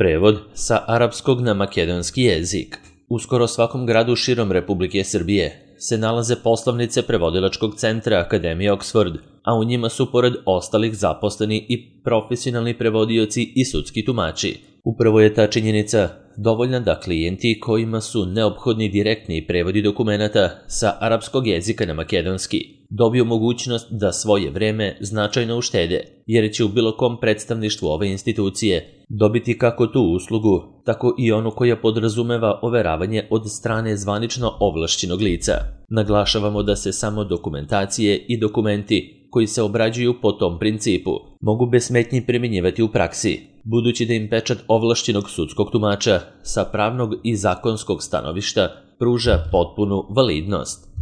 Prevod sa arapskog na makedonski jezik. U skoro svakom gradu širom Republike Srbije se nalaze poslovnice prevodilačkog centra Akademije Oxford, a u njima su pored ostalih zaposleni i profesionalni prevodioci i sudski tumači. Upravo je ta činjenica dovoljna da klijenti kojima su neophodni direktni prevodi dokumenata sa arapskog jezika na makedonski dobiju mogućnost da svoje vreme značajno uštede, jer će u bilo kom predstavništvu ove institucije dobiti kako tu uslugu, tako i onu koja podrazumeva overavanje od strane zvanično ovlašćenog lica. Naglašavamo da se samo dokumentacije i dokumenti koji se obrađuju po tom principu mogu bez smetnji primjenjivati u praksi, budući da im pečat ovlašćenog sudskog tumača sa pravnog i zakonskog stanovišta pruža potpunu validnost.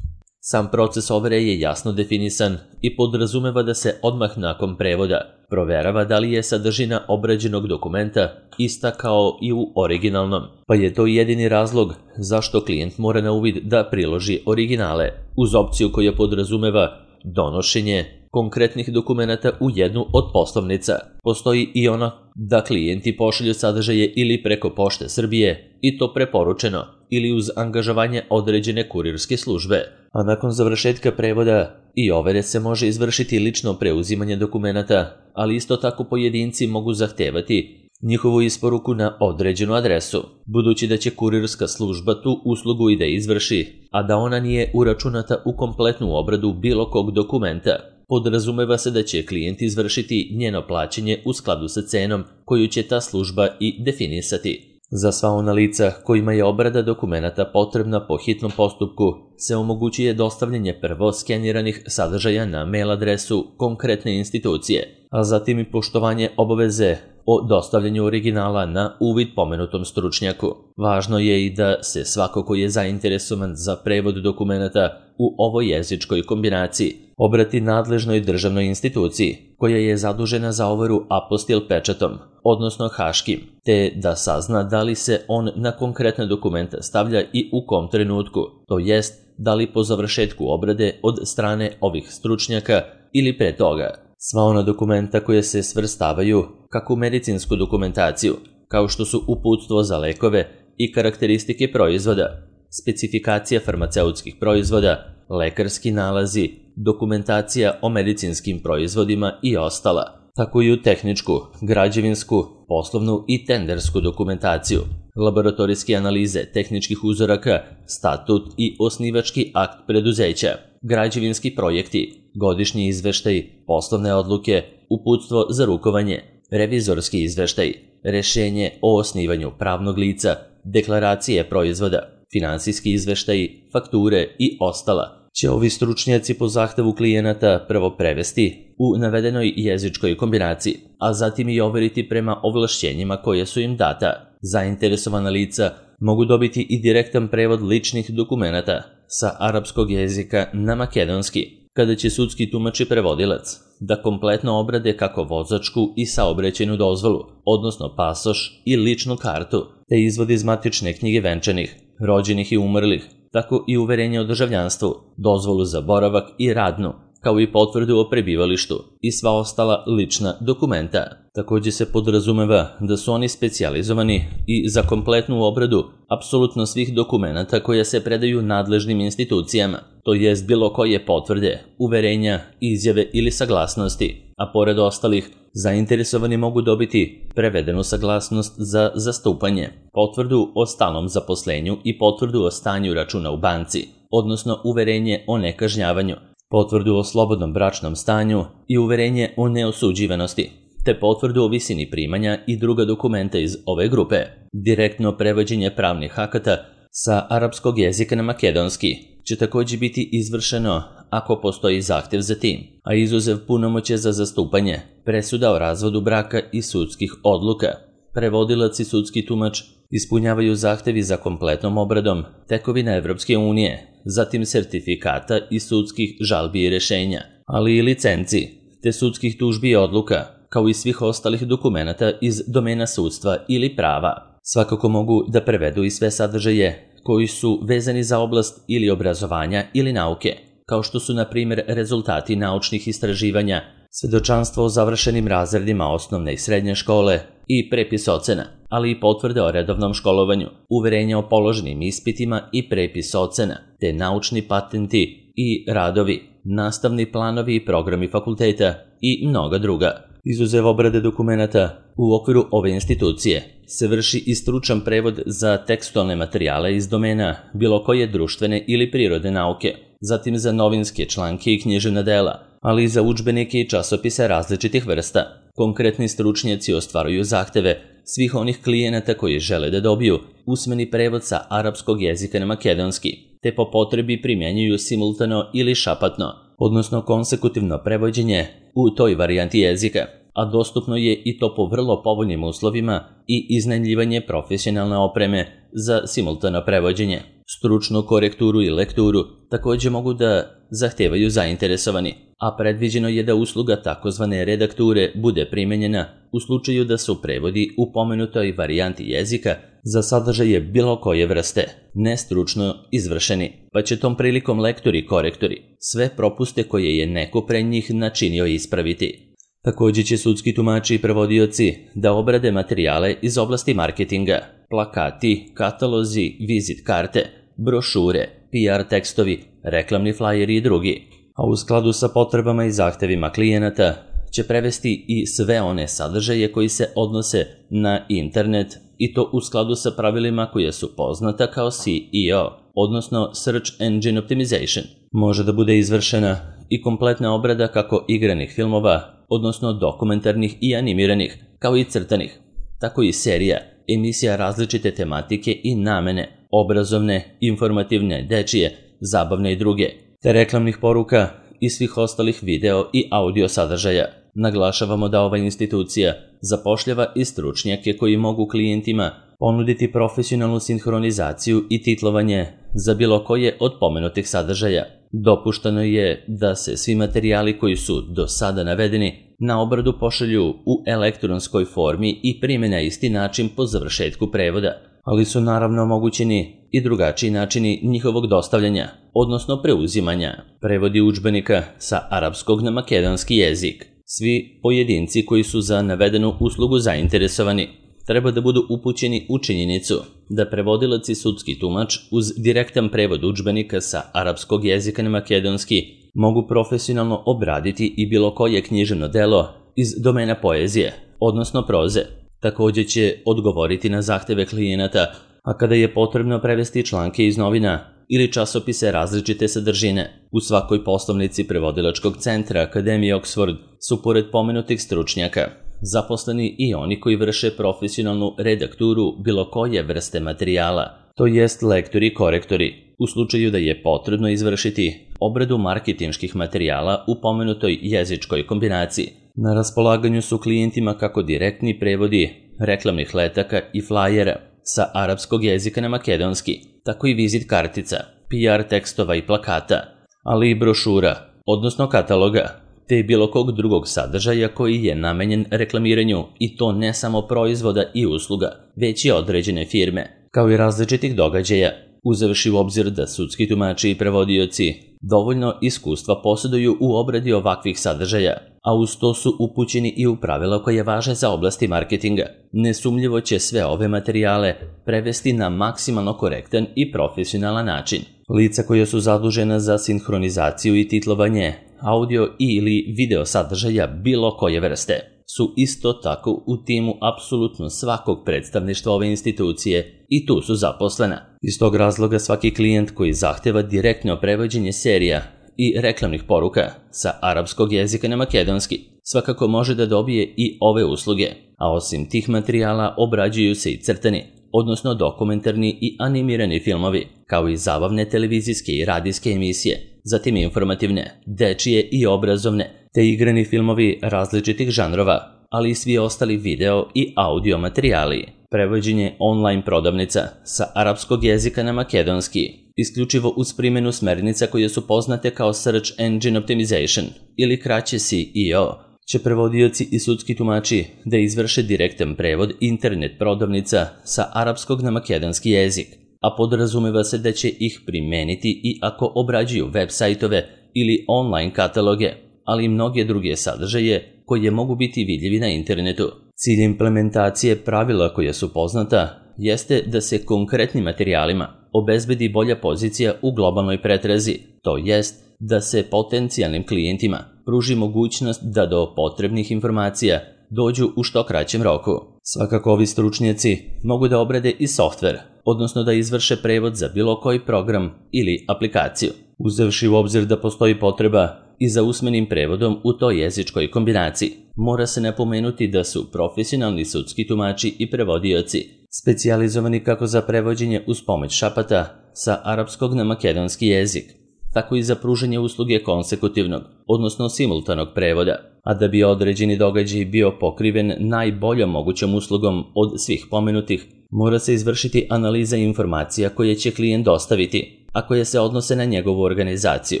Sam proces overe je jasno definisan i podrazumeva da se odmah nakon prevoda proverava da li je sadržina obrađenog dokumenta ista kao i u originalnom, pa je to jedini razlog zašto klijent mora na uvid da priloži originale, uz opciju koja podrazumeva donošenje konkretnih dokumenata u jednu od poslovnica. Postoji i ona da klijenti pošalju sadržaje ili preko Pošte Srbije, i to preporučeno, ili uz angažovanje određene kurirske službe. A nakon završetka prevoda i overe se može izvršiti lično preuzimanje dokumenata, ali isto tako pojedinci mogu zahtevati njihovu isporuku na određenu adresu, budući da će kurirska služba tu uslugu i da izvrši, a da ona nije uračunata u kompletnu obradu bilo kog dokumenta. Podrazumeva se da će klijent izvršiti njeno plaćanje u skladu sa cenom koju će ta služba i definisati. Za sva ona lica kojima je obrada dokumenata potrebna po hitnom postupku se omogućuje dostavljanje prvo skeniranih sadržaja na mail adresu konkretne institucije, a zatim i poštovanje obaveze o dostavljanju originala na uvid pomenutom stručnjaku. Važno je i da se svako ko je zainteresovan za prevod dokumenata u ovoj jezičkoj kombinaciji obrati nadležnoj državnoj instituciji koja je zadužena za overu apostil pečatom, odnosno haškim, te da sazna da li se on na konkretna dokumenta stavlja i u kom trenutku, to jest da li po završetku obrade od strane ovih stručnjaka ili pre toga. Sva ona dokumenta koje se svrstavaju kako u medicinsku dokumentaciju, kao što su uputstvo za lekove i karakteristike proizvoda, specifikacija farmaceutskih proizvoda, lekarski nalazi, dokumentacija o medicinskim proizvodima i ostala, tako i u tehničku, građevinsku, poslovnu i tendersku dokumentaciju, laboratorijske analize tehničkih uzoraka, statut i osnivački akt preduzeća, građevinski projekti, godišnji izveštaj, poslovne odluke, uputstvo za rukovanje, revizorski izveštaj, rešenje o osnivanju pravnog lica, deklaracije proizvoda, finansijski izveštaj, fakture i ostala će ovi stručnjaci po zahtevu klijenata prvo prevesti u navedenoj jezičkoj kombinaciji, a zatim i overiti prema ovlašćenjima koje su im data. Zainteresovana lica mogu dobiti i direktan prevod ličnih dokumenata sa arapskog jezika na makedonski, kada će sudski tumač i prevodilac da kompletno obrade kako vozačku i saobraćajnu dozvolu, odnosno pasoš i ličnu kartu, te izvod iz matične knjige venčanih, rođenih i umrlih, tako i uverenje o državljanstvu, dozvolu za boravak i radnu, kao i potvrdu o prebivalištu i sva ostala lična dokumenta. Također se podrazumeva da su oni specijalizovani i za kompletnu obradu apsolutno svih dokumenata koje se predaju nadležnim institucijama, to jest bilo koje potvrde, uverenja, izjave ili saglasnosti, a pored ostalih, zainteresovani mogu dobiti prevedenu saglasnost za zastupanje, potvrdu o stalnom zaposlenju i potvrdu o stanju računa u banci, odnosno uverenje o nekažnjavanju, potvrdu o slobodnom bračnom stanju i uverenje o neosuđivanosti, te potvrdu o visini primanja i druga dokumenta iz ove grupe. Direktno prevođenje pravnih akata sa arapskog jezika na makedonski će također biti izvršeno ako postoji zahtjev za tim, a izuzev punomoćja za zastupanje, presuda o razvodu braka i sudskih odluka. Prevodilac i sudski tumač ispunjavaju zahtevi za kompletnom obradom tekovina Evropske unije, zatim sertifikata i sudskih žalbi i rešenja, ali i licenci, te sudskih tužbi i odluka, kao i svih ostalih dokumenata iz domena sudstva ili prava. Svakako mogu da prevedu i sve sadržaje koji su vezani za oblast ili obrazovanja ili nauke, kao što su na primjer rezultati naučnih istraživanja, svedočanstvo o završenim razredima osnovne i srednje škole i prepis ocena, ali i potvrde o redovnom školovanju, uverenja o položenim ispitima i prepis ocena, te naučni patenti i radovi, nastavni planovi i programi fakulteta i mnoga druga. Izuzev obrade dokumenata, u okviru ove institucije se vrši i stručan prevod za tekstualne materijale iz domena bilo koje društvene ili prirodne nauke, zatim za novinske članke i književna dela, ali i za udžbenike i časopise različitih vrsta. Konkretni stručnjaci ostvaruju zahteve svih onih klijenata koji žele da dobiju usmeni prevod sa arapskog jezika na makedonski, te po potrebi primjenjuju simultano ili šapatno, odnosno konsekutivno prevođenje u toj varijanti jezika, a dostupno je i to po vrlo povoljnim uslovima i iznajmljivanje profesionalne opreme za simultano prevođenje. Stručnu korekturu i lekturu također mogu da zahtevaju zainteresovani, a predviđeno je da usluga takozvane redakture bude primenjena u slučaju da su prevodi u pomenutoj varijanti jezika za sadržaje bilo koje vrste nestručno izvršeni, pa će tom prilikom lektori i korektori sve propuste koje je neko pre njih načinio ispraviti. Također će sudski tumači i prevodioci da obrade materijale iz oblasti marketinga, plakati, katalozi, vizit karte, brošure, PR tekstovi, reklamni flajeri i drugi, a u skladu sa potrebama i zahtevima klijenata će prevesti i sve one sadržaje koji se odnose na internet i to u skladu sa pravilima koje su poznata kao SEO, odnosno Search Engine Optimization. Može da bude izvršena i kompletna obrada kako igranih filmova, odnosno dokumentarnih i animiranih, kao i crtanih, tako i serija, emisija različite tematike i namene, obrazovne, informativne, dečije, zabavne i druge, te reklamnih poruka i svih ostalih video i audio sadržaja. Naglašavamo da ova institucija zapošljava i stručnjake koji mogu klijentima ponuditi profesionalnu sinhronizaciju i titlovanje za bilo koje od pomenutih sadržaja. Dopušteno je da se svi materijali koji su do sada navedeni na obradu pošalju u elektronskoj formi i prime na isti način po završetku prevoda, ali su naravno omogućeni i drugačiji načini njihovog dostavljanja, odnosno preuzimanja. Prevodi udžbenika sa arapskog na makedonski jezik. Svi pojedinci koji su za navedenu uslugu zainteresovani treba da budu upućeni u činjenicu da prevodilac i sudski tumač uz direktan prevod udžbenika sa arapskog jezika na makedonski mogu profesionalno obraditi i bilo koje književno delo iz domena poezije, odnosno proze. Također će odgovoriti na zahteve klijenata, a kada je potrebno prevesti članke iz novina ili časopise različite sadržine. U svakoj poslovnici prevodilačkog centra Akademije Oxford su pored pomenutih stručnjaka zaposleni i oni koji vrše profesionalnu redakturu bilo koje vrste materijala, to jest lektori i korektori, u slučaju da je potrebno izvršiti obradu marketinških materijala u pomenutoj jezičkoj kombinaciji. Na raspolaganju su klijentima kako direktni prevodi reklamnih letaka i flajera sa arapskog jezika na makedonski, tako i vizit kartica, PR tekstova i plakata, ali i brošura, odnosno kataloga, te bilo kog drugog sadržaja koji je namenjen reklamiranju i to ne samo proizvoda i usluga, već i određene firme, kao i različitih događaja, uzevši u obzir da sudski tumači i prevodioci dovoljno iskustva posjeduju u obradi ovakvih sadržaja, a uz to su upućeni i u pravila koje važe za oblasti marketinga. Nesumnjivo će sve ove materijale prevesti na maksimalno korektan i profesionalan način. Lica koja su zadužena za sinhronizaciju i titlovanje audio ili video sadržaja bilo koje vrste su isto tako u timu apsolutno svakog predstavništva ove institucije i tu su zaposlena. Iz tog razloga svaki klijent koji zahteva direktno prevođenje serija i reklamnih poruka sa arapskog jezika na makedonski svakako može da dobije i ove usluge, a osim tih materijala obrađuju se i crtani, odnosno dokumentarni i animirani filmovi, kao i zabavne televizijske i radijske emisije, zatim informativne, dečije i obrazovne, te igrani filmovi različitih žanrova, ali i svi ostali video i audio materijali. Prevođenje online prodavnica sa arapskog jezika na makedonski, isključivo uz primjenu smernica koje su poznate kao Search Engine Optimization ili kraće SEO, će prevodioci i sudski tumači da izvrše direktan prevod internet prodavnica sa arapskog na makedonski jezik, a podrazumeva se da će ih primeniti i ako obrađuju web sajtove ili online kataloge, ali i mnoge druge sadržaje koje mogu biti vidljivi na internetu. Cilj implementacije pravila koja su poznata jeste da se konkretnim materijalima obezbedi bolja pozicija u globalnoj pretrazi, to jest da se potencijalnim klijentima pruži mogućnost da do potrebnih informacija dođu u što kraćem roku. Svakako ovi stručnjaci mogu da obrade i softver, odnosno da izvrše prevod za bilo koji program ili aplikaciju, uzevši u obzir da postoji potreba i za usmenim prevodom u toj jezičkoj kombinaciji. Mora se napomenuti da su profesionalni sudski tumači i prevodioci specijalizovani kako za prevođenje uz pomoć šapata sa arapskog na makedonski jezik, tako i za pružanje usluge konsekutivnog, odnosno simultanog prevoda, a da bi određeni događaj bio pokriven najboljom mogućom uslugom od svih pomenutih, mora se izvršiti analiza informacija koje će klijent dostaviti, a koje se odnose na njegovu organizaciju,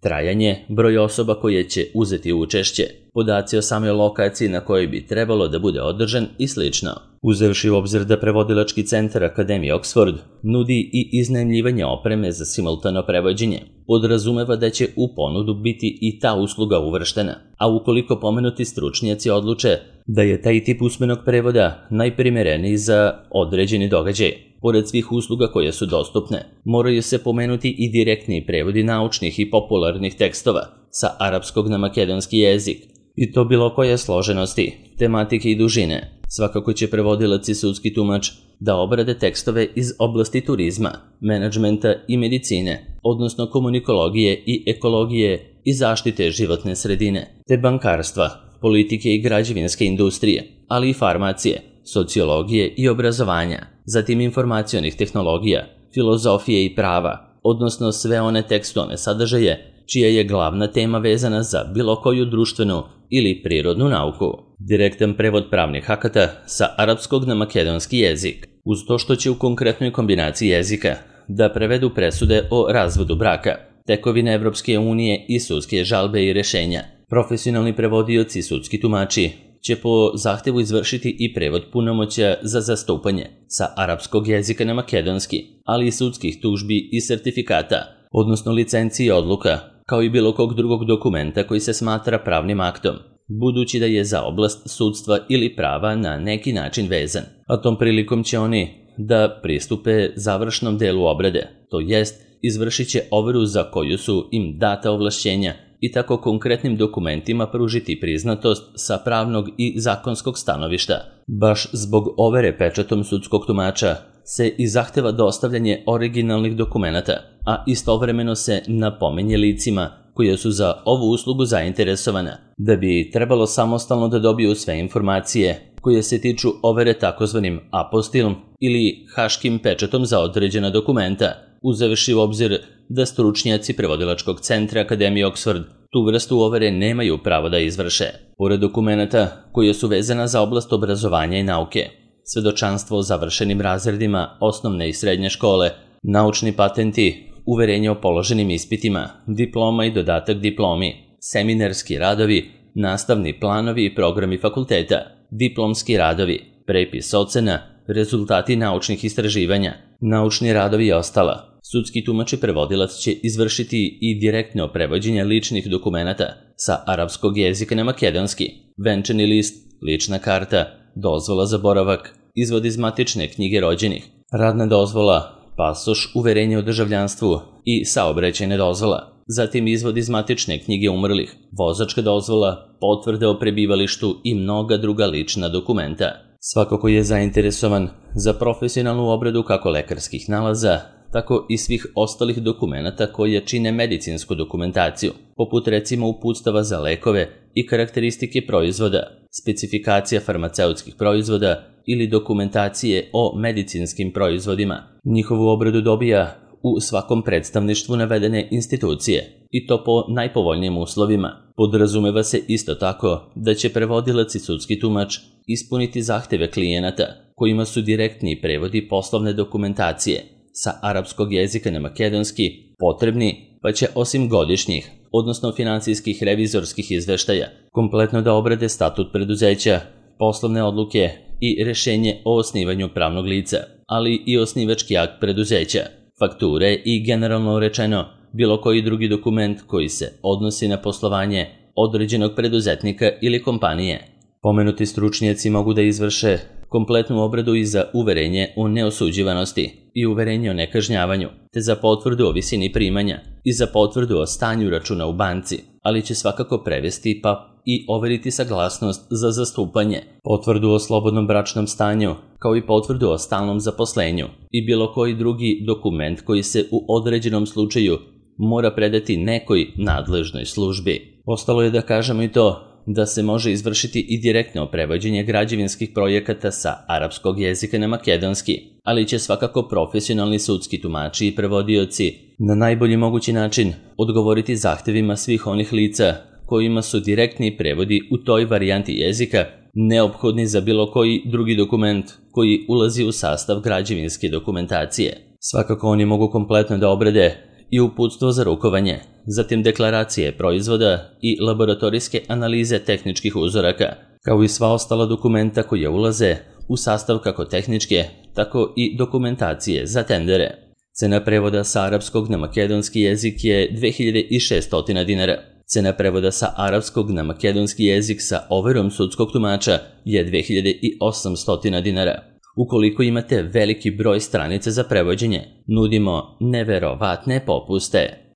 trajanje, broj osoba koje će uzeti učešće, podaci o samoj lokaciji na kojoj bi trebalo da bude održan i sl. Uzevši u obzir da prevodilački centar Akademije Oxford nudi i iznajmljivanje opreme za simultano prevođenje, podrazumeva da će u ponudu biti i ta usluga uvrštena, a ukoliko pomenuti stručnjaci odluče da je taj tip usmenog prevoda najprimereniji za određeni događaj, pored svih usluga koje su dostupne, moraju se pomenuti i direktni prevodi naučnih i popularnih tekstova sa arapskog na makedonski jezik, i to bilo koje složenosti, tematike i dužine. Svakako će prevodilac i sudski tumač da obrade tekstove iz oblasti turizma, menadžmenta i medicine, odnosno komunikologije i ekologije i zaštite životne sredine, te bankarstva, politike i građevinske industrije, ali i farmacije, sociologije i obrazovanja, zatim informacionih tehnologija, filozofije i prava, odnosno sve one tekstualne sadržaje čija je glavna tema vezana za bilo koju društvenu ili prirodnu nauku. Direktan prevod pravnih akata sa arapskog na makedonski jezik, uz to što će u konkretnoj kombinaciji jezika da prevedu presude o razvodu braka, tekovine Evropske unije i sudske žalbe i rešenja. Profesionalni prevodioci i sudski tumači će po zahtevu izvršiti i prevod punomoćja za zastupanje sa arapskog jezika na makedonski, ali i sudskih tužbi i sertifikata, odnosno licenci i odluka, kao i bilo kog drugog dokumenta koji se smatra pravnim aktom, budući da je za oblast sudstva ili prava na neki način vezan. A tom prilikom će oni da pristupe završnom delu obrade, to jest izvršit će overu za koju su im data ovlašćenja i tako konkretnim dokumentima pružiti priznatost sa pravnog i zakonskog stanovišta. Baš zbog overe pečatom sudskog tumača se i zahteva dostavljanje originalnih dokumenata, a istovremeno se napominje licima koje su za ovu uslugu zainteresovana, da bi trebalo samostalno da dobiju sve informacije koje se tiču overe takozvanim apostilom ili haškim pečatom za određena dokumenta, uzevši u obzir da stručnjaci prevodilačkog centra Akademije Oxford tu vrstu overe nemaju pravo da izvrše. Pored dokumenta koje su vezana za oblast obrazovanja i nauke, svedočanstvo o završenim razredima osnovne i srednje škole, naučni patenti, uverenje o položenim ispitima, diploma i dodatak diplomi, seminarski radovi, nastavni planovi i programi fakulteta, diplomski radovi, prepis ocena, rezultati naučnih istraživanja, naučni radovi i ostala. Sudski tumač i prevodilac će izvršiti i direktno prevođenje ličnih dokumenata sa arapskog jezika na makedonski, venčani list, lična karta, dozvola za boravak, izvod iz matične knjige rođenih, radna dozvola, pasoš, uverenje o državljanstvu i saobraćajna dozvola, zatim izvod iz matične knjige umrlih, vozačka dozvola, potvrde o prebivalištu i mnoga druga lična dokumenta. Svako ko je zainteresovan za profesionalnu obradu kako lekarskih nalaza, tako i svih ostalih dokumenata koje čine medicinsku dokumentaciju, poput recimo uputstava za lekove i karakteristike proizvoda, specifikacija farmaceutskih proizvoda ili dokumentacije o medicinskim proizvodima. Njihovu obradu dobija u svakom predstavništvu navedene institucije, i to po najpovoljnijim uslovima. Podrazumeva se isto tako da će prevodilac i sudski tumač ispuniti zahteve klijenata kojima su direktni prevodi poslovne dokumentacije sa arapskog jezika na makedonski potrebni, pa će osim godišnjih, odnosno finansijskih revizorskih izveštaja, kompletno da obrade statut preduzeća, poslovne odluke i rešenje o osnivanju pravnog lica, ali i osnivački akt preduzeća, fakture i generalno rečeno bilo koji drugi dokument koji se odnosi na poslovanje određenog preduzetnika ili kompanije. Pomenuti stručnjaci mogu da izvrše kompletnu obradu i za uverenje o neosuđivanosti i uverenje o nekažnjavanju, te za potvrdu o visini primanja i za potvrdu o stanju računa u banci, ali će svakako prevesti i overiti saglasnost za zastupanje, potvrdu o slobodnom bračnom stanju, kao i potvrdu o stalnom zaposlenju i bilo koji drugi dokument koji se u određenom slučaju mora predati nekoj nadležnoj službi. Ostalo je da kažemo i to da se može izvršiti i direktno prevođenje građevinskih projekata sa arapskog jezika na makedonski, ali će svakako profesionalni sudski tumači i prevodioci na najbolji mogući način odgovoriti zahtevima svih onih lica kojima su direktni prevodi u toj varijanti jezika neophodni za bilo koji drugi dokument koji ulazi u sastav građevinske dokumentacije. Svakako oni mogu kompletno da obrade i uputstvo za rukovanje, zatim deklaracije proizvoda i laboratorijske analize tehničkih uzoraka, kao i sva ostala dokumenta koja ulaze u sastav kako tehničke, tako i dokumentacije za tendere. Cena prevoda sa arapskog na makedonski jezik je 2600 dinara. Cena prevoda sa arapskog na makedonski jezik sa overom sudskog tumača je 2800 dinara. Ukoliko imate veliki broj stranica za prevođenje, nudimo neverovatne popuste.